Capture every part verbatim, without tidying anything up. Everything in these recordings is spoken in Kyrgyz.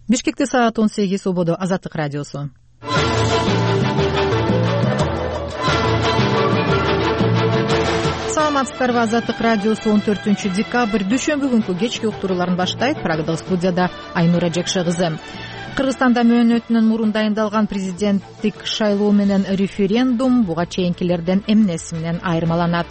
Бишкекте саат он сегиз, ободо Азаттык радиосу. Саламатсыздарбы, Азаттык радиосу он төртүнчү декабрь дүйшөмбү күнкү кечки уктурууларын баштайт. Программадагы студияда Айнура Жекше кызы. Кыргызстанда мөөнөтүнөн мурун дайындалган президенттик шайлоо менен референдум буга чейинкилерден эмнеси менен айырмаланат?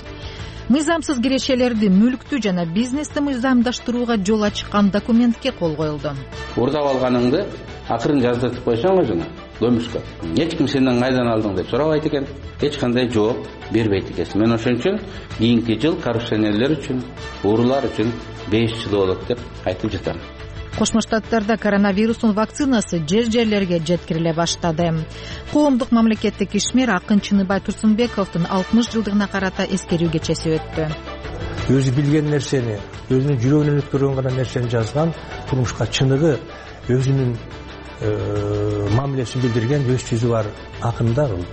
Мыйзамсыз кирешелерди, мүлктү жана бизнести мыйзамдаштырууга жол ачкан документке кол коюлду. Уурдап алганыңды акырын жаздыртып койсоң го жана көмүшкө. Эч ким сенден кайдан алдың деп сурабайт экен, эч кандай жооп бербейт экенсиң. Мен ошон үчүн кийинки жыл коррупционерлер үчүн, уурулар үчүн беш жыл болот деп айтып жатам. Кошмо Штаттарда коронавирустун вакцинасы жер-жерлерге жеткириле баштады. Коомдук мамлекеттик ишмер Акын Чыныбай Турсунбековдун алтымыш жылдыгына карата эскерүү кечеси өттү. Өзү билген нерсени, өзүнүн жүрөгүнөн өткөргөн гана нерсени жазган, турмушка чыныгы, өзүнүн мамилесин билдирген өз жүзү бар акындар ол.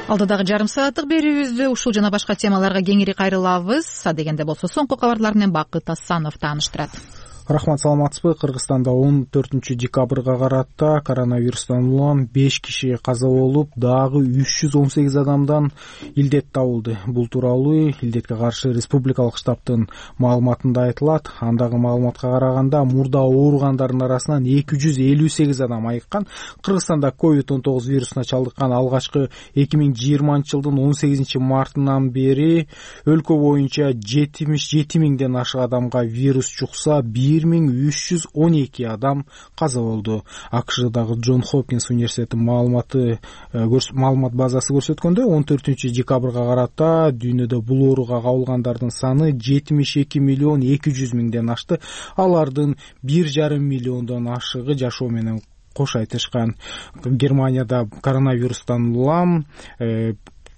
Алдыдагы жарым сааттык берүүбүздө ушул жана башка темаларга кеңири кайрылабыз. Адегенде болсо соңку кабарлар менен Бакыт Асанов тааныштырат. Рахмат, саламатсызбы? Кыргызстанда он төртүнчү декабрга карата коронавирустан улам беш киши каза болуп, дагы үч жүз он сегиз адамдан илдет табылды. Бул тууралуу илдетке каршы республикалык штабтын маалыматында айтылат. Андагы маалыматка караганда мурда ооругандардын арасынан эки жүз элүү сегиз адам айыккан. Кыргызстанда ковид он тогуз вирусуна чалдыккан алгачкы эки миң жыйырманчы жылдын он сегизинчи мартынан бери өлкө боюнча жетимиш жети миңден ашык адамга вирус жукса, бир миң үч жүз он эки адам каза болду. АКШдагы Джон Хопкинс университетинин маалыматы маалымат базасы көрсөткөндөй, он төртүнчү декабрга карата дүйнөдө бул ооруга кабылгандардын саны жетимиш эки миллион эки жүз миңден ашты. Алардын бир жарым миллиондон ашыгы жашоо менен кош айтышкан. Германияда коронавирустан улам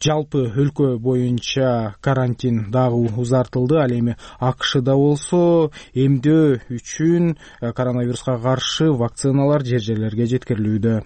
жалпы өлкө боюнча карантин дагы узартылды. Ал эми АКШда болсо эмдөө үчүн коронавируска каршы вакциналар жер-жерлерге жеткирилүүдө.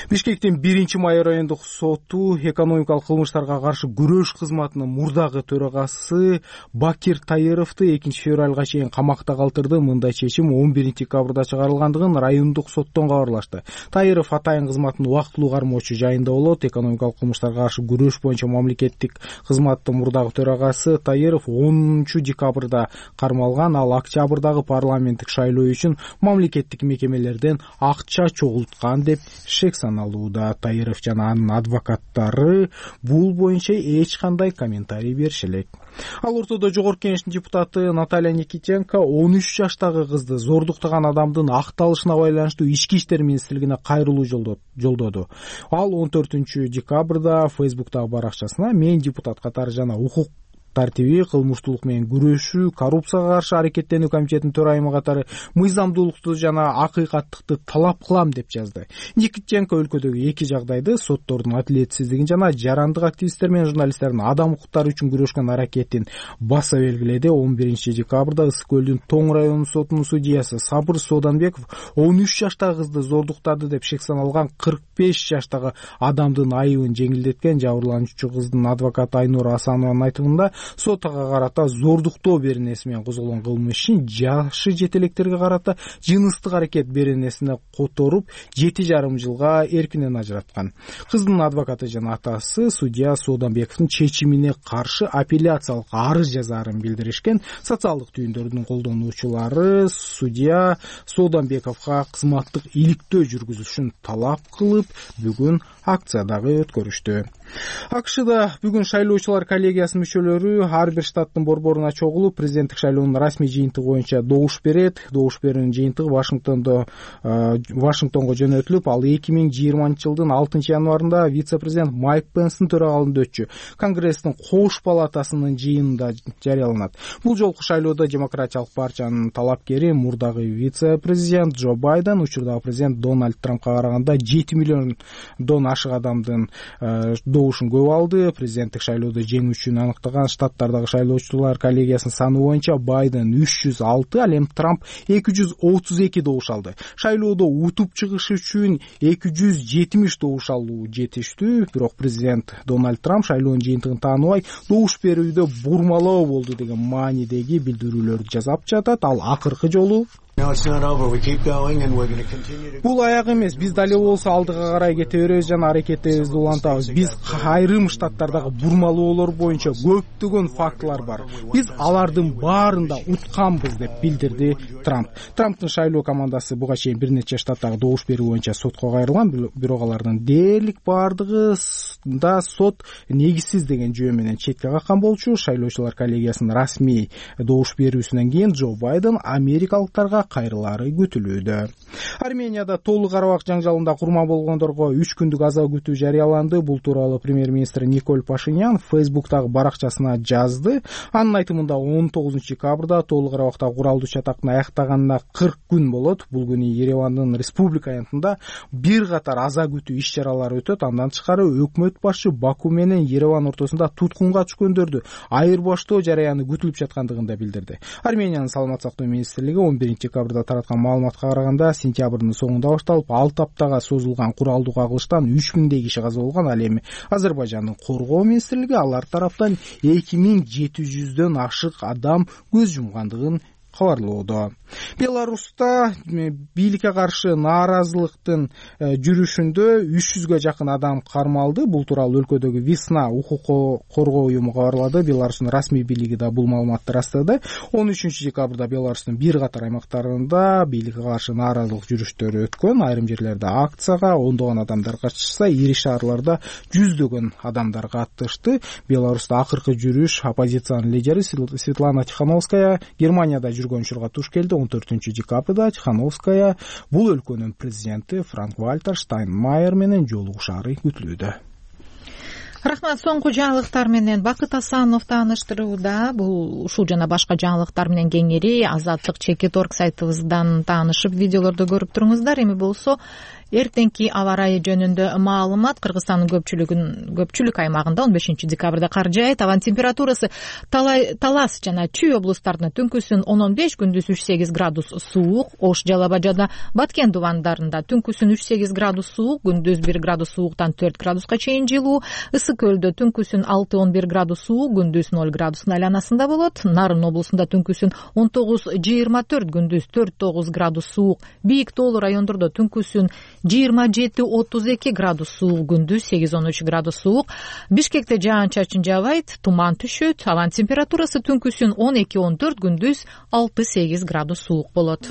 Бишкектин биринчи май райондук соту экономикалык кылмыштарга каршы күрөш кызматынын мурдагы төрагасы Бакир Тайыровду экинчи февралга чейин камакта калтырды. Мындай чечим он биринчи декабрда чыгарылгандыгын райондук соттон кабарлашты. Тайыров атайын кызматын убактылуу кармоочу жайында болот. Экономикалык кылмыштарга каршы күрөш боюнча мамлекеттик кызматтын мурдагы төрагасы Тайыров онунчу декабрда кармалган. Ал октябрдагы парламенттик шайлоо үчүн мамлекеттик мекемелерден акча чогулткан деп шек саналууда. Тайыров жана анын адвокаттары бул боюнча эч кандай комментарий бериши элек. Ал ортодо жогорку кеңештин депутаты Наталья Никитенко он үч жаштагы кызды зордуктаган адамдын акталышына байланыштуу ички иштер министрлигине кайрылуу жолдоду. Ал он төртүнчү декабрда Фейсбуктагы баракчасына мен депутат катары жана укук тартиби, кылмыштуулук менен күрөшүү, коррупцияга каршы аракеттенүү комитетинин төрайымы катары мыйзамдуулукту жана акыйкаттыкты талап кылам деп жазды. Никитенко өлкөдөгү эки жагдайды, соттордун адилетсиздигин жана жарандык активисттер менен журналисттердин адам укуктары үчүн күрөшкөн аракетин баса белгиледи. он биринчи декабрда Ысык көлдүн Тоң районунун сотунун судьясы Сабыр Сооданбеков он үч жаштагы кызды зордуктады деп шек саналган кырк беш жаштагы адамдын айыбын жеңилдеткен. Жабырлануучу кыздын адвокаты Айнура Асанованын айтымында сотага карата зордуктоо беренеси менен козголгон кылмыш ишин жашы жетелектерге карата жыныстык аракет беренесине которуп жети жарым жылга эркинен ажыраткан. Кыздын адвокаты жана атасы судья Сооданбековдун чечимине каршы апелляциялык арыз жазаарын билдиришкен. Социалдык түйүндөрдүн колдонуучулары судья Сооданбековго кызматтык иликтөө жүргүзүшүн талап кылып, бүгүн акция дагы өткөрүштү. АКШда бүгүн шайлоочулар коллегиясынын мүчөлөрү ар бир штаттын борборуна чогулуп, президенттик шайлоонун расмий жыйынтыгы боюнча добуш берет. Добуш берүүнүн жыйынтыгы Вашингтондо Вашингтонго жөнөтүлүп, ал эки миң жыйырманчы жылдын алтынчы январында вице-президент Майк Пенстин төрагалыгында өтчү. Конгресстин кош палатасынын жыйынында жарыяланат. Бул жолку шайлоодо демократиялык партиянын талапкери мурдагы вице-президент Джо Байден учурдагы президент Дональд Трампка караганда жети миллиондон ашык адамдын добушун көп алды. Президенттик шайлоодо жеңүү үчүн аныктаган Штаттардагы шайлоочулар коллегиясынын саны боюнча Байден үч жүз алты, ал эми Трамп эки жүз отуз эки добуш алды. Шайлоодо утуп чыгыш үчүн эки жүз жетимиш добуш алуу жетиштүү, бирок президент Дональд Трамп шайлоонун жыйынтыгын тааныбай добуш берүүдө бурмалоо болду деген маанидеги билдирүүлөрдү жасап жатат. Ал акыркы жолу бул аяк эмес, биз дали болсо алдыга карай кете беребиз жана аракетибизди улантабыз. Биз айрым штаттардагы бурмалоолор боюнча көптөгөн фактылар бар. Биз алардын баарында утканбыз деп билдирди Трамп. Трамптын шайлоо командасы буга чейин бир нече штаттагы добуш берүү боюнча сотко кайрылган, бирок алардын дээрлик баардыгы да сот негизсиз деген жөө менен четке каккан болчу. Шайлоочулар коллегиясынын расмий добуш берүүсүнөн кийин Джо Байден америкалыктарга кайрылаары күтүлүүдө. Арменияда толук карабак жаңжалында курман болгондорго үч күндүк аза күтүү жарыяланды. Бул тууралуу премьер-министр Николь Пашинян Фейсбуктагы баракчасына жазды. Анын айтымында он тогузунчу декабрда толук карабакта куралдуу чатактын аяктаганына кырк күн болот. Бул күнү Еревандын республика аянтында бир катар аза күтүү иш чаралары өтөт. Андан тышкары өкмөт башы Баку менен Ереван ортосунда туткунга түшкөндөрдү айырбаштоо жараяны күтүлүп жаткандыгын да билдирди. Армениянын саламат сактоо министрлиги он биринчи декабрда тараткан маалыматка караганда сентябрдын соңунда башталып алты аптага созулган куралдуу кагылыштан үч миңдей киши каза болгон. Ал эми Азербайжандын коргоо министрлиги алар тараптан эки миң жети жүздөн ашык адам көз жумгандыгын кабарлоодо. Беларуста бийликке каршы нааразылыктын жүрүшүндө үч жүзгө жакын адам кармалды. Бул тууралуу өлкөдөгү Весна укук коргоо уюму кабарлады. Беларустун расмий бийлиги да бул маалыматты ырастады. он үчүнчү декабрда Беларустун бир катар аймактарында бийликке каршы нааразылык жүрүштөрү өткөн. Айрым жерлерде акцияга ондогон адамдар катышса, ири шаарларда жүздөгөн адамдар катышты. Беларуста акыркы жүрүш оппозициянын лидери Светлана Тихановская Германияда жүргөн учурга туш келди. он төртүнчү декабрда Тихановская бул өлкөнүн президенти Франк Вальтер Штайнмайер менен жолугушаары күтүлүүдө. Рахмат. Соңку жаңылыктар менен Бакыт Асанов тааныштырууда. Бул ушул жана башка жаңылыктар менен кеңири Азаттык чекит точка орг сайтыбыздан таанышып, видеолорду көрүп туруңуздар. Эми болсо эртеңки аба ырайы жөнүндө маалымат. Кыргызстандын көпчүлүгүн көпчүлүк аймагында он бешинчи декабрда кар жаайт. Абанын температурасы Талас жана Чүй облустарында түнкүсүн он он беш, күндүз үч сегиз градус суук. Ош, Жалал Абад жана Баткен дубандарында түнкүсүн үч сегиз градус суук, күндүз бир градус сууктан төрт градуска чейин жылуу. Ысык көлдө түнкүсүн алты он бир градус суук, күндүз ноль градустун айланасында болот. Нарын облусунда түнкүсүн он тогуз жыйырма төрт, күндүз төрт тогуз градус суук. Бийик тоолуу райондордо түнкүсүн жыйырма жети отуз эки градус суук, күндүз сегиз он үч градус суук. Бишкекте жаан-чачын жаабайт, туман түшөт. Абанын температурасы түнкүсүн он эки он төрт, күндүз алты сегиз градус суук болот.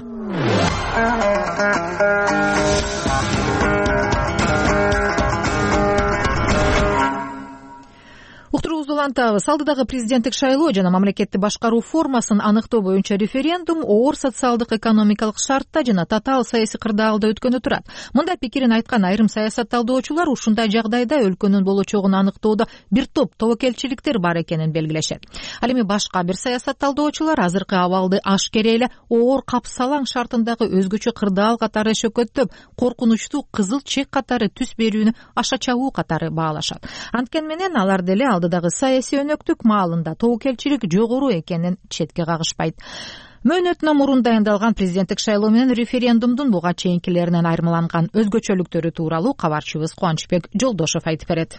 Уктуруубузду улантабыз. Алдыдагы президенттик шайлоо жана мамлекетти башкаруу формасын аныктоо боюнча референдум оор социалдык экономикалык шартта жана татаал саясий кырдаалда өткөнү турат. Мындай пикирин айткан айрым саясат талдоочулар ушундай жагдайда өлкөнүн болочогун аныктоодо бир топ тобокелчиликтер бар экенин белгилешет. Ал эми башка бир саясат талдоочулар азыркы абалды ашкере эле оор капсалаң шартындагы өзгөчө кырдаал катары шөкөттөп, коркунучтуу кызыл чек катары түс берүүнү аша чабуу катары баалашат. Анткени менен алар деле алдыдагы саясий өнөктүк маалында тобокелчилик жогору экенин четке кагышпайт. Мөөнөтүнөн мурун дайындалган президенттик шайлоо менен референдумдун буга чейинкилеринен айырмаланган өзгөчөлүктөрү тууралуу кабарчыбыз Кубанычбек Жолдошов айтып берет.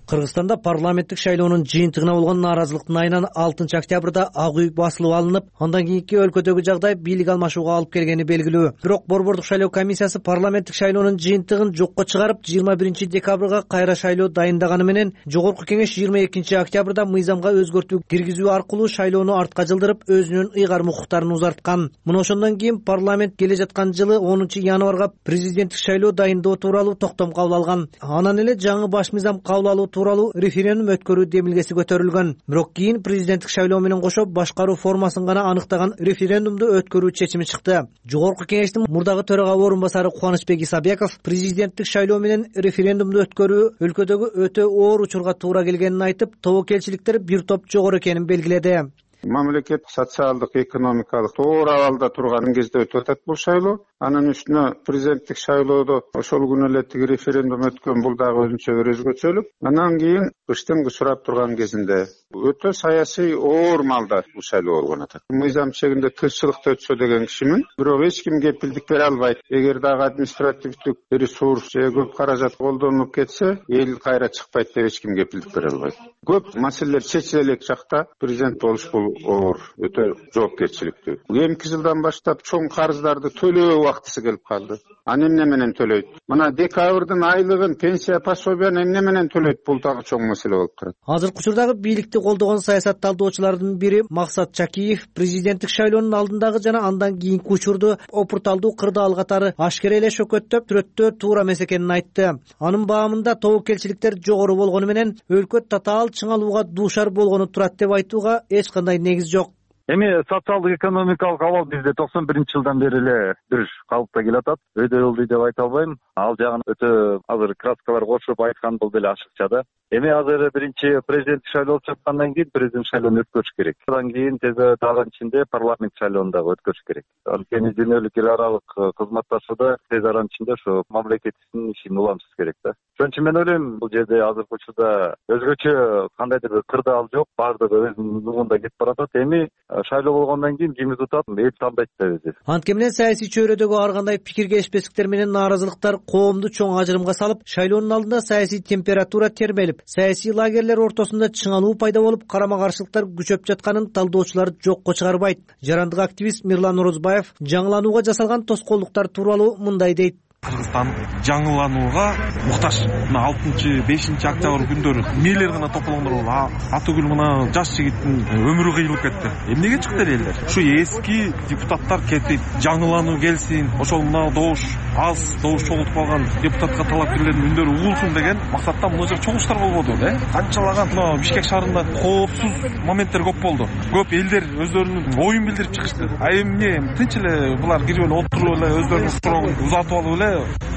Кыргызстанда парламенттик шайлоонун жыйынтыгына болгон нааразылыктын айынан алтынчы октябрда ак үй басылып алынып, андан кийинки өлкөдөгү жагдай бийлик алмашууга алып келгени белгилүү. Бирок борбордук шайлоо комиссиясы парламенттик шайлоонун жыйынтыгын жокко чыгарып, жыйырма биринчи декабрга кайра шайлоо дайындаганы менен жогорку кеңеш жыйырма экинчи октябрда мыйзамга өзгөртүү киргизүү аркылуу шайлоону артка жылдырып, өзүнүн ыйгарым укуктарын узарткан. Мына ошондон кийин парламент келе жаткан жылы онунчу январга президенттик шайлоо дайындоо тууралуу токтом кабыл алган. Анан эле жаңы баш мыйзам кабыл алуу тууралуу референдум өткөрүү демилгеси көтөрүлгөн. Бирок кийин президенттик шайлоо менен кошо башкаруу формасын гана аныктаган референдумду өткөрүү чечими чыкты. Жогорку кеңештин мурдагы төрага орун басары Кубанычбек Исабеков президенттик шайлоо менен референдумду өткөрүү өлкөдөгү өтө оор учурга туура келгенин айтып, тобокелчиликтер бир топ жогору экенин белгиледи. Мамлекет социалдык, экономикалык тоор абалда турган кезде өтүп атат бул шайлоо. Анын үстүнө президенттик шайлоодо ошол күнү эле тиги референдум өткөн, бул дагы өзүнчө бир өзгөчөлүк. Андан кийин кыштын сурап турган кезинде өтө саясий оор маалда бул шайлоо болгон атат. Мыйзам чегинде тынччылыкта өтсө деген кишимин, бирок эч ким кепилдик бере албайт. Эгер дагы административдик ресурс же көп каражат колдонулуп кетсе, эл кайра чыкпайт деп эч ким кепилдик бере албайт. Көп маселелер чечиле элек жакта президент болуш бул оор, өтө жоопкерчиликтүү. Эмки жылдан баштап чоң карыздарды төлөө убактысы келип калды. Аны эмне менен төлөйт? Мына декабрдын айлыгын, пенсия пособияны эмне менен төлөйт? Бул дагы чоң маселе болуп турат. Азыркы учурдагы бийликти колдогон саясат талдоочулардын бири Максат Чакиев президенттик шайлоонун алдындагы жана андан кийинки учурду опурталдуу кырдаал катары ашкере эле шөкөттөп түрөттөө туура эмес экенин айтты. Анын баамында тобокелчиликтер жогору болгону менен өлкө татаал чыңалууга дуушар болгону турат деп айтууга эч кандай негиз жок. Эми социалдык экономикалык абал бизде токсон биринчи жылдан бери эле бир калыпта келатат. Өйдө болду деп айта албайм. Ал жагын өтө азыр краскалар кошуп айткан бул деле ашыкча да. Эми азыр биринчи президенттик шайлоо болуп жаткандан кийин президент шайлоону өткөрүш керек. Андан кийин тез ичинде парламент шайлоону дагы өткөрүш керек. Анткени дүйнөлүк эл аралык кызматташууда тез аралык ичинде ошо мамлекетибиздин ишин уламсыз керек да. Ошон үчүн мен ойлойм, бул жерде азыркы учурда өзгөчө кандайдыр бир кырдаал жок, баардыгы өзүнүн жолунда кетип баратат. Эми шайлоо болгондон кийин ким утат, эл тандайт да өзү. Анткени менен саясий чөйрөдөгү ар кандай пикир келишпестиктер менен нааразылыктар коомду чоң ажырымга салып, шайлоонун алдында саясий температура термелип, саясий лагерлер ортосунда чыңалуу пайда болуп, карама каршылыктар күчөп жатканын талдоочулар жокко чыгарбайт. Жарандык активист Мирлан Орозбаев жаңыланууга жасалган тоскоолдуктар тууралуу мындай дейт. Кыргызстан жаңыланууга муктаж. Мына алтынчы, бешинчи октябрь күндөрү эмнелер гана тополгондор болду. Атүгүл мына жаш жигиттин өмүрү кыйылып кетти. Эмнеге чыкты элдер? Ушу эски депутаттар кетип, жаңылануу келсин, ошол мына добуш аз, добуш чогултуп алган депутатка талапкерлердин үндөрү угулсун деген максаттан мына жер чогулуштар болбоду, э? Канчалаган мына Бишкек шаарында коопсуз моменттер көп болду. Көп элдер өздөрүнүн оюн билдирип чыгышты. А эмне тынч эле булар кирип эле отуруп эле өздөрүнүн сурогун узатып алып эле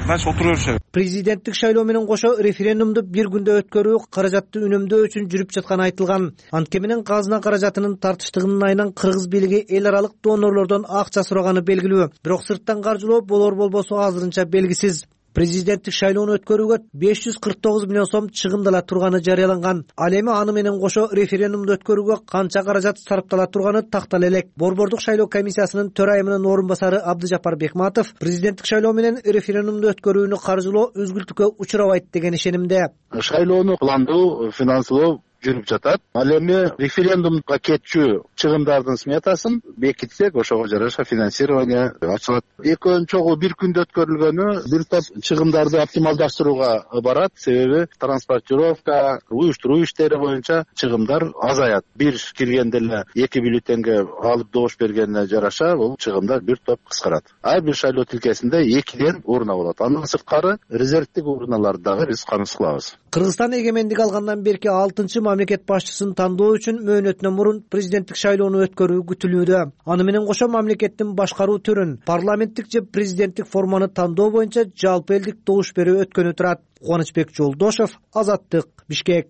дальше отура беришет. Президенттик шайлоо менен кошо референдумду бир күндө өткөрүү каражатты үнөмдөө үчүн жүрүп жатканы айтылган. Анткени менен казына каражатынын тартыштыгынын айынан кыргыз бийлиги эл аралык донорлордон акча сураганы белгилүү. Бирок сырттан каржылоо болор болбосу азырынча белгисиз. Президенттик шайлоону өткөрүүгө беш жүз кырк тогуз миллион сом чыгымдала турганы жарыяланган. Ал эми аны менен кошо референдумду өткөрүүгө канча каражат сарптала турганы тактала элек. Борбордук шайлоо комиссиясынын төрайымынын орун басары Абдыжапар Бекматов президенттик шайлоо менен референдумду өткөрүүнү каржылоо үзгүлтүккө учурабайт деген ишенимде. Шайлоону пландоо, финансылоо жүрүп жатат. Ал эми референдумга кетчү чыгымдардын сметасын бекитсек, ошого жараша финансирование ачылат. Экөөнүн чогуу бир күндө өткөрүлгөнү бир топ чыгымдарды оптималдаштырууга барат. Себеби транспортировка, уюштуруу иштери боюнча чыгымдар азаят. Бир киргенде эле эки бюллетенге алып добуш бергенине жараша бул чыгымдар бир топ кыскарат. Ар бир шайлоо тилкесинде экиден урна болот. Андан сырткары резервдик урналарды дагы биз камсыз кылабыз. Кыргызстан эгемендик алгандан берки алтынчы мамлекет башчысын тандоо үчүн мөөнөтүнөн мурун президенттик шайлоону өткөрүү күтүлүүдө. Аны менен кошо мамлекеттин башкаруу түрүн, парламенттик же президенттик форманы тандоо боюнча жалпы элдик добуш берүү өткөнү турат. Кубанычбек Жолдошев, Азаттык, Бишкек.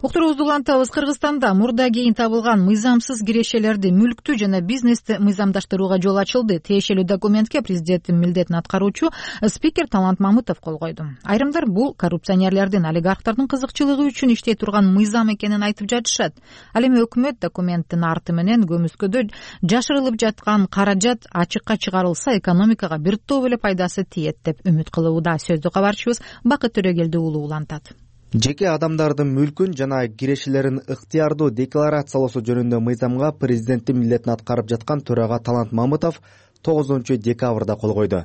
Уктуруубузду улантабыз. Кыргызстанда мурда кийин табылган мыйзамсыз кирешелерди, мүлктү жана бизнести мыйзамдаштырууга жол ачылды. Тиешелүү документке президенттин милдетин аткаруучу спикер Талант Мамытов кол койду. Айрымдар бул коррупционерлердин, олигархтардын кызыкчылыгы үчүн иштей турган мыйзам экенин айтып жатышат. Ал эми өкмөт документтин арты менен көмүскөдө жашырылып жаткан каражат ачыкка чыгарылса, экономикага бир топ эле пайдасы тиет деп үмүт кылууда. Сөздү кабарчыбыз Бакыт Төрөгелди уулу улантат. Жеке адамдардын мүлкүн жана кирешелерин ыктыярдуу декларациялоосу жөнүндө мыйзамга президенттин милдетин аткарып жаткан төрага Талант Мамытов тогузунчу декабрда кол койду.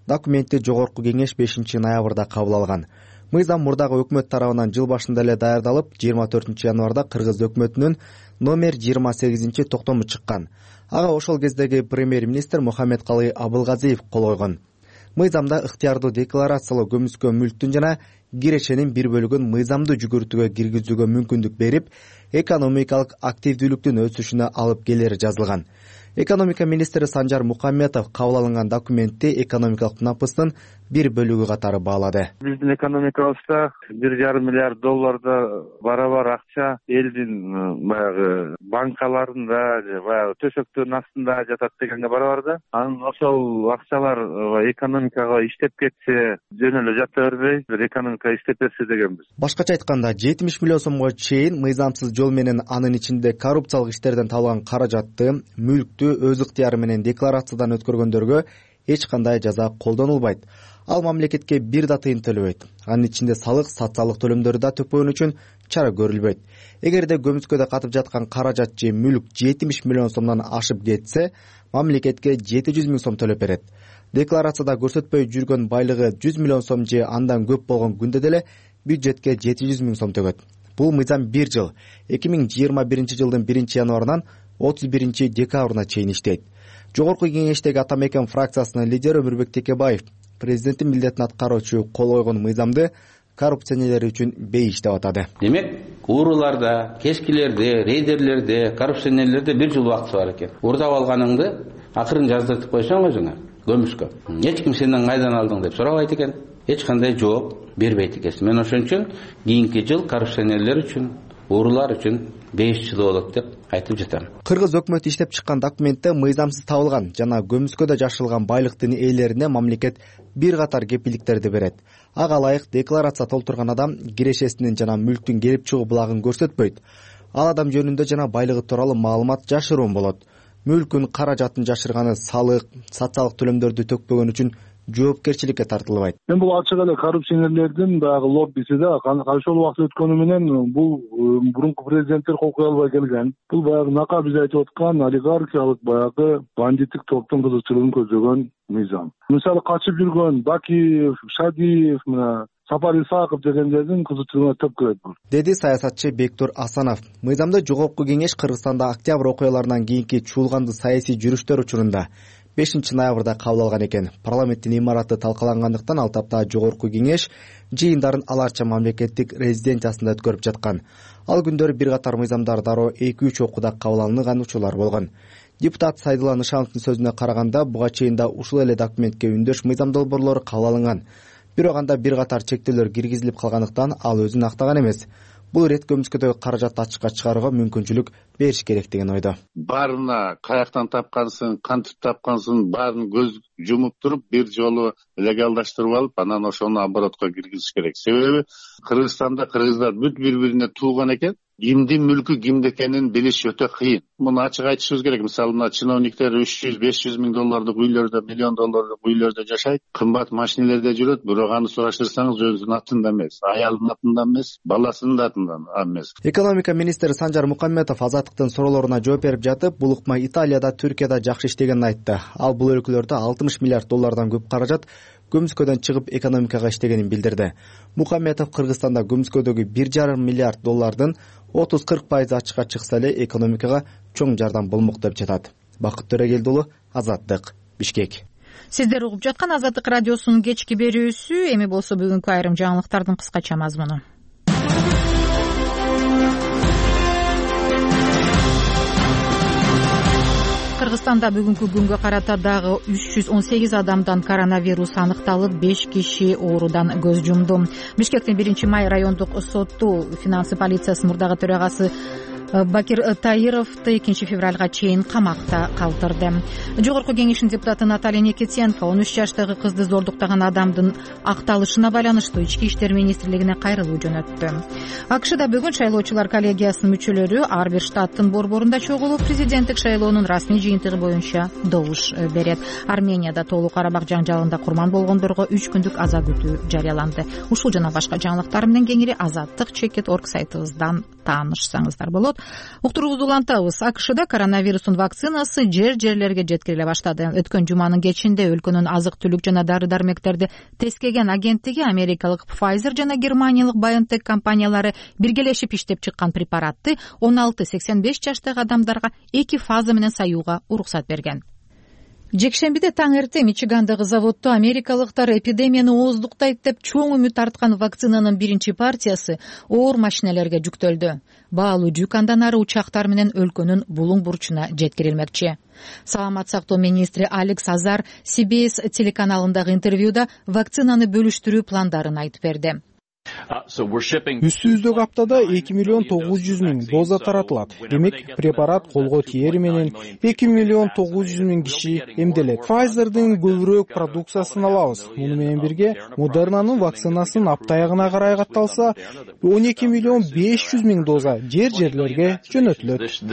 Документти жогорку кеңеш бешинчи ноябрда кабыл алган. Мыйзам мурдагы өкмөт тарабынан жыл башында эле даярдалып, жыйырма төртүнчү январда Кыргыз өкмөтүнүн номер жыйырма сегизинчи токтому чыккан. Ага ошол кездеги премьер-министр Мухаммедкалый Абылгазиев кол койгон. Мыйзамда ыктыярдуу декларациялоо көмүскө мүлктүн жана кирешенин бир бөлүгүн мыйзамдуу жүгүртүүгө киргизүүгө мүмкүндүк берип, экономикалык активдүүлүктүн өсүшүнө алып келери жазылган. Экономика министри Санжар Мукамметов кабыл алынган документти экономикалык напыстын бир бөлүгү катары баалады. Биздин экономикабызда бир жарым миллиард долларда барабар акча элдин баягы банкаларында же баягы төшөктөрдүн астында жатат дегенге барабар да. Анан ошол акчалар экономикага иштеп кетсе, жөн эле жата бербей, бир экономика иштеп берсе дегенбиз. Башкача айтканда, жетимиш миллион сомго чейин мыйзамсыз жол менен, анын ичинде коррупциялык иштерден табылган каражатты, мүлктү өз ыктыяры менен декларациядан өткөргөндөргө эч кандай жаза колдонулбайт. Ал мамлекетке бир да тыйын төлөбөйт. Анын ичинде салык, социалдык төлөмдөрдү да төкпөгөн үчүн чара көрүлбөйт. Эгерде көмүскөдө катып жаткан каражат же мүлк жетимиш миллион сомдон ашып кетсе, мамлекетке жети жүз миң сом төлөп берет. Декларацияда көрсөтпөй жүргөн байлыгы жүз миллион сом же андан көп болгон күндө деле бюджетке жети жүз миң сом төгөт. Бул мыйзам бир жыл, эки миң жыйырма биринчи жылдын биринчи январынан отуз биринчи декабрына чейин иштейт. Жогорку кеңештеги Ата Мекен фракциясынын лидери Өмүрбек Текебаев президенттин милдетин аткаруучу кол койгон мыйзамды коррупционерлер үчүн бейиш деп атады. Демек, ууруларда, кескилерде, рейдерлерде, коррупционерлерде бир жыл убакыт бар экен. Уурдап алганыңды акырын жаздыртып койсоң өзүңө көмүшкө. Эч ким сенден кайдан алдың деп сурабайт экен. Эч кандай жооп бербейт экенсиң. Мен ошон үчүн кийинки жыл коррупционерлер үчүн, уурулар үчүн беш жыл болот деп айтып жатам. Кыргыз өкмөтү иштеп чыккан документте мыйзамсыз табылган жана көмүскөдө жашырылган байлыктын ээлерине мамлекет бир катар кепилдиктерди берет. Ага ылайык декларация толтурган адам кирешесинин жана мүлктүн келип чыгуу булагын көрсөтпөйт. Ал адам жөнүндө жана байлыгы тууралуу маалымат жашыруун болот. Мүлкүн, каражатын жашырганы салык, социалдык төлөмдөрдү төкпөгөн үчүн жоопкерчиликке тартылбайт. Мен бул ачык эле коррупционерлердин баягы лоббиси да, ошол убакыт өткөнү менен бул мурунку президенттер кол кое албай келген. Бул баягы нака биз айтып аткан олигархиялык баягы бандиттик топтун кызыкчылыгын көздөгөн мыйзам. Мисалы качып жүргөн Бакиев, Шадиев, мына Сапар Исаков дегендердин кызыкчылыгына төп келет бул, деди саясатчы Бектур Асанов. Мыйзамда Жогорку кеңеш Кыргызстанда октябрь окуяларынан кийинки чуулганды саясий жүрүштөр учурунда бешинчи ноябрда кабыл алган экен. Парламенттин имараты талкалангандыктан ал тапта Жогорку кеңеш жыйындарын аларча мамлекеттик резиденциясында өткөрүп жаткан. Ал күндөрү бир катар мыйзамдар дароо эки үч окууда кабыл алынган учурлар болгон. Депутат Сайдулла Нышановдун сөзүнө караганда, буга чейин да ушул эле документке үндөш мыйзам долбоорлору кабыл алынган. Бирок анда бир катар чектөөлөр киргизилип калгандыктан ал өзүн актаган эмес. Бул ирет көмүскөдөгү каражатты ачыкка чыгарууга мүмкүнчүлүк бериш керек деген ойдо. Баарына каяктан тапкансың, кантип тапкансың, баарын көз жумуп туруп бир жолу легалдаштырып алып, анан ошону оборотко киргизиш керек. Себеби Кыргызстанда кыргыздар бүт бири-бирине тууган экен. Кимдин мүлкү кимде экенин билиш өтө кыйын. Муну ачык айтышыбыз керек. Мисалы, мына чиновниктер үч жүз беш жүз миң доллардык үйлөрдө, миллион доллардык үйлөрдө жашайт, кымбат машинелерде жүрөт, бирок аны сураштырсаңыз өзүнүн атында эмес, аялынын атында эмес, баласынын атында эмес. Экономика министри Санжар Мукамметов Азаттыктын суроолоруна жооп берип жатып, бул ыкма Италияда, Түркияда жакшы иштегенин айтты. Ал бул өлкөлөрдө алтымыш миллиард доллардан көп каражат көмүскөдөн чыгып экономикага иштегенин билдирди. Мукамметов Кыргызстанда көмүскөдөгү бир жарым миллиард доллардын отуз кырк пайызы ачыкка чыкса эле экономикага чоң жардам болмок деп жатат. Бакыт Төрөгелди уулу, Азаттык, Бишкек. Сиздер угуп жаткан Азаттык радиосунун кечки берүүсү. Эми болсо бүгүнкү айрым жаңылыктардын кыскача мазмуну. Кыргызстанда бүгүнкү күнгө карата дагы үч жүз он сегиз адамдан коронавирус аныкталып, беш киши оорудан көз жумду. Бишкектин биринчи май райондук соту финансы полициясынын мурдагы төрагасы Бакир Таировду экинчи февралга чейин камакта калтырды. Жогорку кеңештин депутаты Наталья Никитенко он үч жаштагы кызды зордуктаган адамдын акталышына байланыштуу ички иштер министрлигине кайрылуу жөнөттү. АКШда бүгүн шайлоочулар коллегиясынын мүчөлөрү ар бир штаттын борборунда чогулуп, президенттик шайлоонун расмий жыйынтыгы боюнча добуш берет. Арменияда Тоолуу Карабак жаңжалында курман болгондорго үч күндүк аза күтүү жарыяланды. Ушул жана башка жаңылыктар менен кеңири азаттык чекит точка орг сайтыбыздан таанышсаңыздар болот. Уктуруубузду улантабыз. АКШда коронавирустун вакцинасы жер-жерлерге жеткириле баштады. Өткөн жуманын кечинде өлкөнүн азык-түлүк жана дары-дармектерди тескеген агенттиги америкалык Pfizer жана германиялык BioNTech компаниялары биргелешип иштеп чыккан препаратты он алты сексен беш жаштагы адамдарга эки фаза менен саюуга уруксат берген. Жекшембиде таң эрте Мичигандагы заводдо америкалыктар эпидемияны ооздуктайт деп чоң үмүт арткан вакцинанын биринчи партиясы оор машиналерге жүктөлдү. Баалуу жүк андан ары учактар менен өлкөнүн булуң бурчуна жеткирилмекчи. Саламат сактоо министри Алекс Азар Си Би Эс телеканалындагы интервьюда вакцинаны бөлүштүрүү пландарын айтып берди. Үстүбүздөгү аптада эки миллион тогуз жүз миң доза таратылат. Демек, препарат колго тиери менен эки миллион тогуз жүз миң киши эмделет. Pfizer'дын көбүрөөк продукциясын алабыз. Муну менен бирге Модернанын вакцинасын апта аягына карай катталса, он эки миллион беш жүз миң доза жер-жерлерге жөнөтүлөт.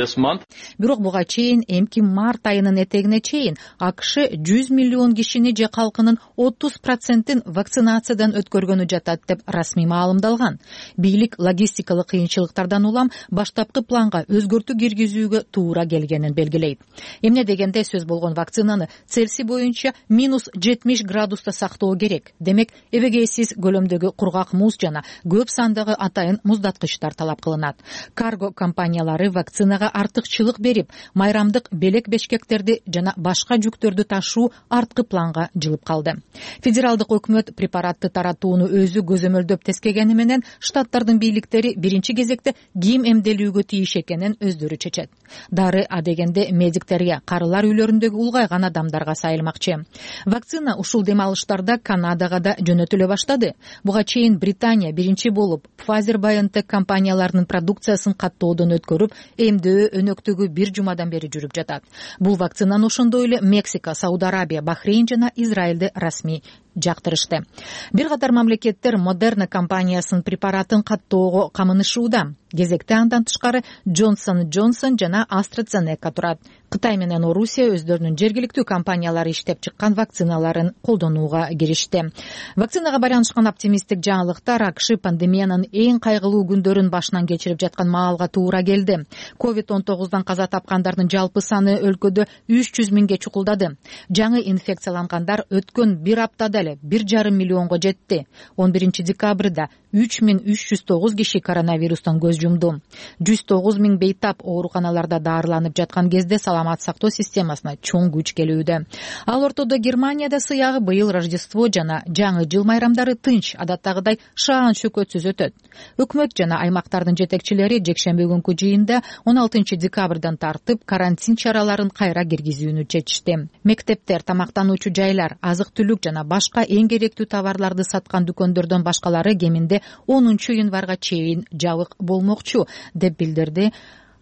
Бирок буга чейин эмки март айынын этегине чейин АКШ жүз миллион кишини же калкынын отуз процентин вакцинациядан өткөргөнү жатат деп расмий маалымдалган. Бийлик логистикалык кыйынчылыктардан улам баштапкы планга өзгөртүү киргизүүгө туура келгенин белгилейт. Эмне дегенде сөз болгон вакцинаны Цельсий боюнча минус жетимиш градуста сактоо керек. Демек, эбегейсиз көлөмдөгү кургак муз жана көп сандагы атайын муздаткычтар талап кылынат. Карго компаниялары вакцинага артыкчылык берип, майрамдык белек бешкектерди жана башка жүктөрдү ташуу арткы планга жылып калды. Федералдык өкмөт препаратты таратууну өзү көзөмөлдөп тескегени менен штаттардын бийликтери биринчи кезекте ким эмделүүгө тийиш экенин өздөрү чечет. Дары адегенде медиктерге, карылар үйлөрүндөгү улгайган адамдарга сайылмакчы. Вакцина ушул дем алыштарда Канадага да жөнөтүлө баштады. Буга чейин Британия биринчи болуп Pfizer-BioNTech компанияларынын продукциясын каттоодон өткөрүп, эмдөө өнөктүгү бир жумадан бери жүрүп жатат. Бул вакцинаны ошондой эле Мексика, Сауд Арабия, Бахрейн жана Израилде расмий жактырышты. Бир катар мамлекеттер Модерна компаниясынын препаратын каттоого камынышууда. Кезекте андан тышкары Johnson энд Johnson жана AstraZeneca турат. Кытай менен Орусия өздөрүнүн жергиликтүү компаниялары иштеп чыккан вакциналарын колдонууга киришти. Вакцинага байланышкан оптимисттик жаңылыктар АКШ пандемиянын эң кайгылуу күндөрүн башынан кечирип жаткан маалга туура келди. ковид он тогуздан каза тапкандардын жалпы саны өлкөдө үч жүз миңге чукулдады. Жаңы инфекциялангандар өткөн бир аптада эле бир жарым миллионго жетти. он биринчи декабрда үч миң үч жүз тогуз киши коронавирустан көз жумду. жүз тогуз миң бейтап ооруканаларда даарыланып жаткан кезде саламат сактоо системасына чоң күч келүүдө. Ал ортодо Германияда сыягы быйыл Рождество жана жаңы жыл майрамдары тынч, адаттагыдай шаан шөкөтсүз өтөт. Өкмөт жана аймактардын жетекчилери жекшемби күнкү жыйында он алтынчы декабрдан тартып карантин чараларын кайра киргизүүнү чечишти. Мектептер, тамактануучу жайлар, азык-түлүк жана башка эң керектүү товарларды саткан дүкөндөрдөн башкалары кеминде онунчу январга чейин жабык болмокчу, деп билдирди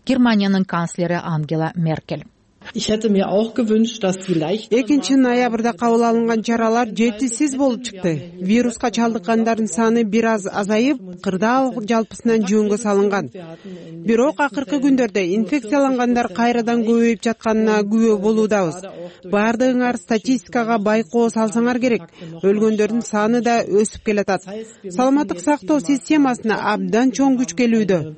Германиянын канцлери Ангела Меркель. экинчи ноябрда кабыл алынган чаралар жетишсиз болуп чыкты. Вируска чалдыккандардын саны бир аз азайып, кырдаал жалпысынан жөнгө салынган. Бирок акыркы күндөрдө инфекциялангандар кайрадан көбөйүп жатканына күбө болуудабыз. Бардыгыңар статистикага байкоо салсаңар керек. Өлгөндөрдүн саны да өсүп келатат. Саламаттык сактоо системасына абдан чоң күч келүүдө.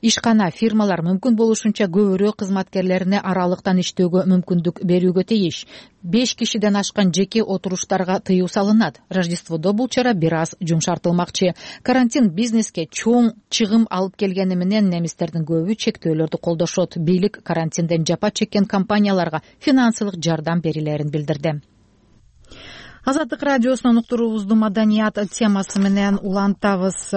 Ишкана, фирмалар мүмкүн болушунча көбүрөөк кызматкерлерине аралыктан иштөөгө мүмкүндүк берүүгө тийиш. беш кишиден ашкан жеке отуруштарга тыюу салынат. Рождестводо бул чара бир аз жумшартылмакчы. Карантин бизнеске чоң чыгым алып келгени менен немистердин көбү чектөөлөрдү колдошот. Бийлик карантинден жапа чеккен компанияларга финансылык жардам берилерин билдирди. Азаттык радиосунун уктуруубузду маданият темасы менен улантабыз.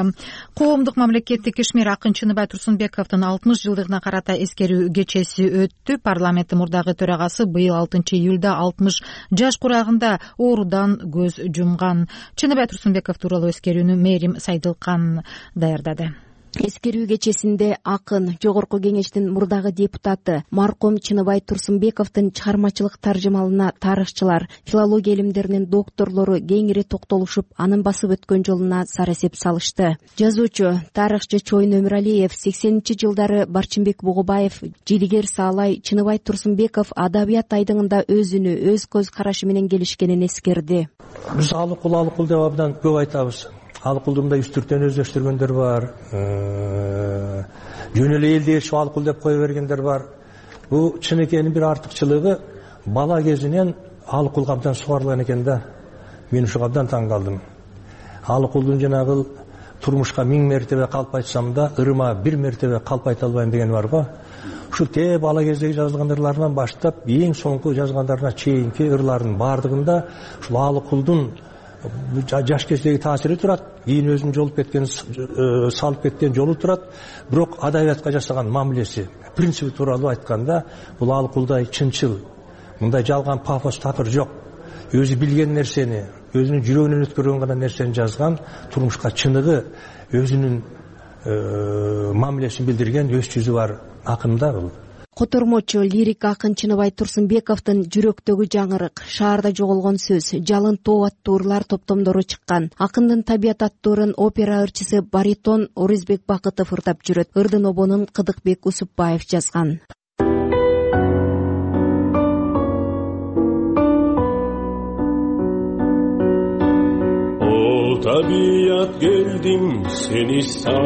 Коомдук мамлекеттик ишмер Акын Чыныбай Турсунбековдун алтымыш жылдыгына карата эскерүү кечеси өттү. Парламенттин мурдагы төрагасы быйыл алтынчы июлда алтымыш жаш курагында оорудан көз жумган. Чыныбай Турсунбеков тууралуу эскерүүнү Мээрим Сайдылкан даярдады. Эскерүү кечесинде Акын, Жогорку Кеңештин мурдагы депутаты маркум Чыныбай Турсунбековдун чыгармачылык таржымалына тарыхчылар, филология илимдеринин докторлору кеңири токтолушуп, анын басып өткөн жолуна сар эсеп салышты. Жазуучу, тарыхчы Чоюн Өмүралиев, сексенинчи жылдары Барчынбек Бугубаев, Жидигер Саалай, Чыныбай Турсунбеков адабият айдыңында өзүнү, өз көз карашы менен келишкенин эскерди. Биз алыкул алыкул деп абдан көп айтабыз. Алыкулду мындай үстүртөн өздөштүргөндөр бар, жөн эле элди ээрчип алыкул деп кое бергендер бар. Бул чынекенин бир артыкчылыгы бала кезинен алыкулга абдан сугарылган экен да. Мен ушу абдан таң калдым. Алыкулдун жанагы турмушка миң мертебе калп айтсам да, ырыма бир мертебе калп айта албайм деген бар го. Ушу те бала кездеги жазылган ырларынан баштап эң соңку жазгандарына чейинки ырлардын баардыгында ушул Алыкулдун жаш кездеги таасири турат, кийин өзүнүн жолуп кеткен, салып кеткен жолу турат. Бирок адабиятка жасаган мамилеси, принципи тууралуу айтканда, бул Алыкулдай чынчыл, мындай жалган пафос такыр жок. Өзү билген нерсени, өзүнүн жүрөгүнөн өткөргөн гана нерсени жазган, турмушка чыныгы, өзүнүн мамилесин билдирген өз жүзү бар акын да бул. Котормочу лирик акын Чыныбай Турсунбековдун жүрөктөгү жаңырык, шаарда жоголгон сөз, жалын тоо аттуу ырлар топтомдору чыккан. Акындын табият аттуу ырын опера ырчысы баритон Орузбек Бакытов ырдап жүрөт. Ырдын обонун Кыдыкбек Усупбаев жазган. О табият, келдим сени сагынып,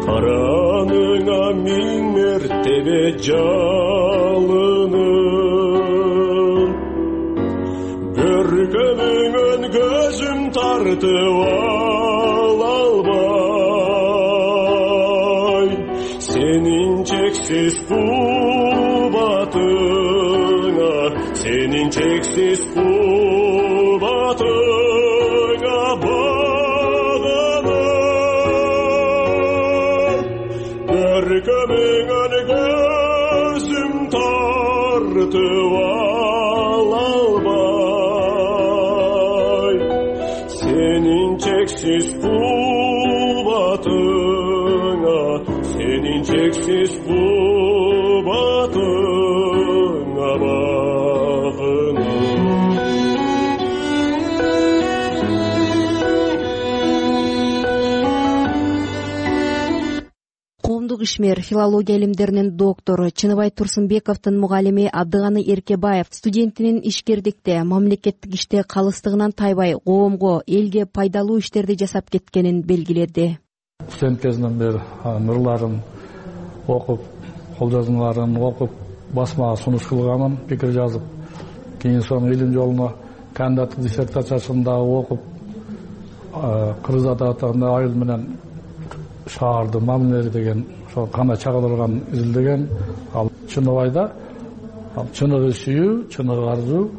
караныңа миң мертебе жалынып, көркөмүңөн көзүм тартып ала албай, сенин чексиз кубатыңа, сенин чексиз кубатыңа көркөмүңөн көзүм тартып ала албай, сенин чексиз кубатыңа, сенин чексиз кубатыңа багынып. Коомдук ишмер, филология илимдеринин доктору, Чыныбай Турсунбековдун мугалими Абдыганы Эркебаев студентинин ишкердикте, мамлекеттик иште калыстыгынан тайбай, коомго, элге пайдалуу иштерди жасап кеткенин белгиледи. Студент кезинен бери ырларын окуп, кол жазмаларын окуп, басмага сунуш кылганмын, пикир жазып, кийин соң илим жолуна кандидаттык диссертациясын дагы окуп, кыргыз адабиятында айыл менен шаарды мамилелери деген ошо кандай чагылдырган изилдеген. Ал Чыныбайда чыныгы сүйүү, чыныгы арзуу,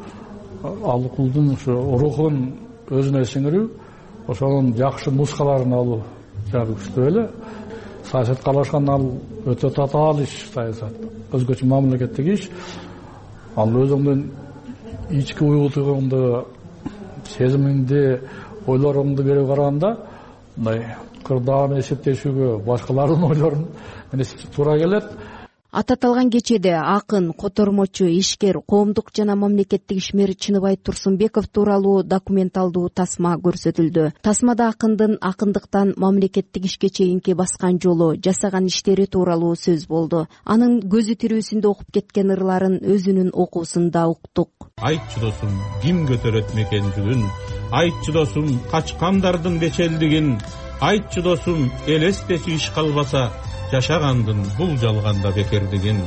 Алыкулдун ушу рухун өзүнө сиңирүү, ошонун жакшы нускаларын алуу жагы күчтүү эле. Саясатка аралашкан ал өтө татаал иш, саясат. Өзгөчө мамлекеттик иш. Ал өзүңдүн ички уюлтугуңду, сезимиңди, ойлоруңду берип караганда, мындай кырдаан эсептешүүгө башкалардын ойлорун менен туура келет. Ататалган кечеде акын, котормочу, ишкер, коомдук жана мамлекеттик ишмер Чыныбай Турсунбеков тууралуу документалдуу тасма көрсөтүлдү. Тасмада акындын акындыктан мамлекеттик ишке чейинки баскан жолу, жасаган иштери тууралуу сөз болду. Анын көзү тирүүсүндө окуп кеткен ырларын өзүнүн окуусунда уктук. Айтчы досум, ким көтөрөт мекен жүгүн? Айтчы досум, качкандардын бечелдигин. Айтчы досум, элестечи иш калбаса, жашагандын бул жалганда бекердигин.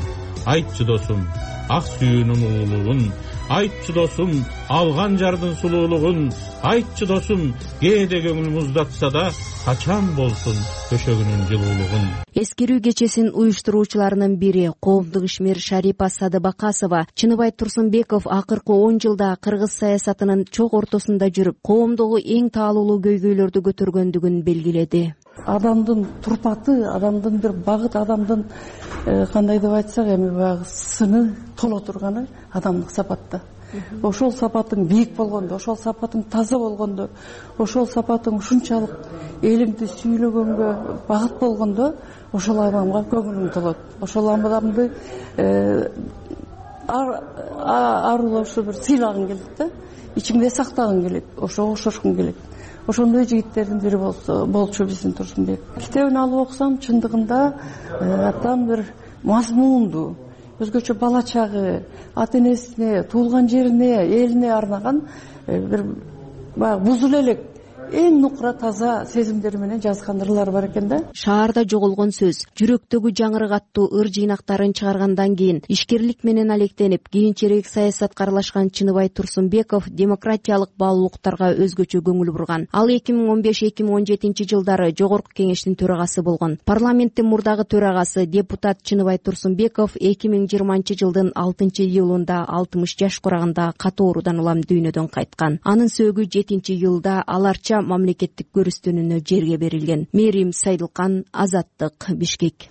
Айтчы досум, ак сүйүүнүн улуулугун. Айтчы досум, алган жардын сулуулугун. Айтчы досум, кээде көңүл муздатса да, качан болсун төшөгүнүн жылуулугун. Эскерүү кечесин уюштуруучуларынын бири коомдук ишмер Шарипа Садыбакасова Чыныбай Турсунбеков акыркы он жылда кыргыз саясатынын чок ортосунда жүрүп, коомдогу эң таалуулуу көйгөйлөрдү көтөргөндүгүн белгиледи. Адамдын турпаты, адамдын бир багыт, адамдын кандай деп айтсак, эми баягы сыны толо турганы адамдык сапатта. Ошол сапатың бийик болгондо, ошол сапатың таза болгондо, ошол сапатың ушунчалык элиңди сүйлөгөнгө багыт болгондо, ошол адамга көңүлүң толот. Ошол адамды арулашы бир сыйлагың келет да, ичиңде сактагың келет, ошого окшошкуң келет. Ошондой жигиттердин бири болчу биздин Турсунбек. Китебин алып окусам, чындыгында абдан бир мазмундуу, өзгөчө бала чагы, ата энесине, туулган жерине, элине арнаган бир баягы бузула элек эң нукура таза сезимдери менен жазган ырлары бар экен да. Шаарда жоголгон сөз, жүрөктөгү жаңырык аттуу ыр жыйнактарын чыгаргандан кийин ишкерлик менен алектенип, кийинчерээк саясатка аралашкан Чыныбай Турсунбеков демократиялык баалуулуктарга өзгөчө көңүл бурган. Ал эки миң он беш эки миң он жетинчи жылдары Жогорку Кеңештин төрагасы болгон. Парламенттин мурдагы төрагасы депутат Чыныбай Турсунбеков эки миң жыйырманчы жылдын алтынчы июлунда алтымыш жаш кураганда катуу оорудан улам дүйнөдөн кайткан. Анын сөөгү жетинчи июлда аларча мамлекеттик көрүстөнүүнө жерге берилген. Мерим Сайдылкан, Азаттык, Бишкек.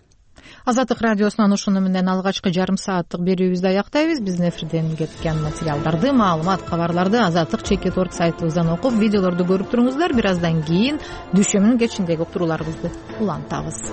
Азаттык радиосунан ушуну менен алгачкы жарым сааттык берүүбүздү аяктайбыз. Биздин эфирден кеткен материалдарды, маалымат, кабарларды Азаттык чекит орг сайтыбыздан окуп, видеолорду көрүп туруңуздар. Бир аздан кийин дүйшөмүнүн кечиндеги уктурууларыбызды улантабыз.